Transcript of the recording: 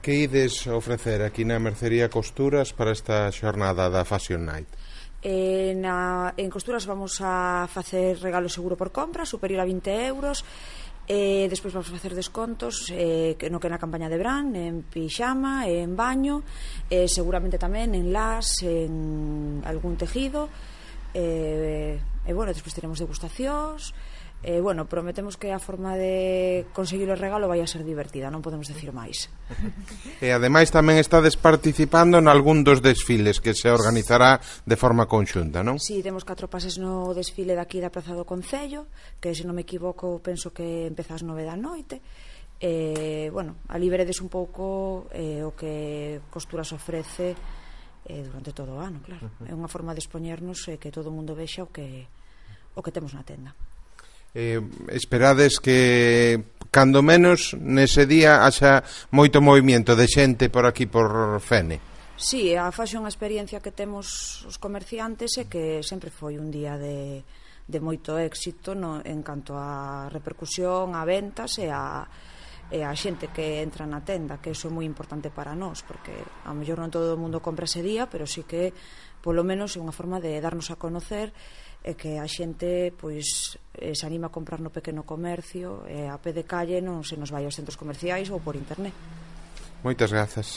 Que ides ofrecer aquí na Mercería Costuras para esta xornada da Fashion Night? En Costuras vamos a facer regalo seguro por compra superior a 20 euros. Despois vamos a facer descontos no que na campaña de verán, en pixama, en baño, seguramente tamén en las, en algún tejido, bueno, despois teremos degustacións. Bueno, prometemos que a forma de conseguir o regalo vai a ser divertida, non podemos decir máis. E ademais tamén estades participando nalgún dos desfiles que se organizará de forma conxunta, non? Si, temos 4 pases no desfile daqui da Praza do Concello, que se non me equivoco penso que empeza ás 9 da noite. Bueno, ali veredes un pouco o que Costuras ofrece durante todo o ano, claro. É unha forma de expoñernos e que todo o mundo vexa o que temos na tenda. Esperades que cando menos nese día haxa moito movimento de xente por aquí por Fene? Si, a fashion, a experiencia que temos os comerciantes é que sempre foi un día de moito éxito en canto a repercusión, a ventas e a xente que entra na tenda, que iso é moi importante para nós, porque a mellor non todo o mundo compra ese día, pero sí que polo menos é unha forma de darnos a conocer e que a xente pois se anima a comprar no pequeno comercio e a pé de calle non se nos vai aos centros comerciais ou por internet. Moitas grazas.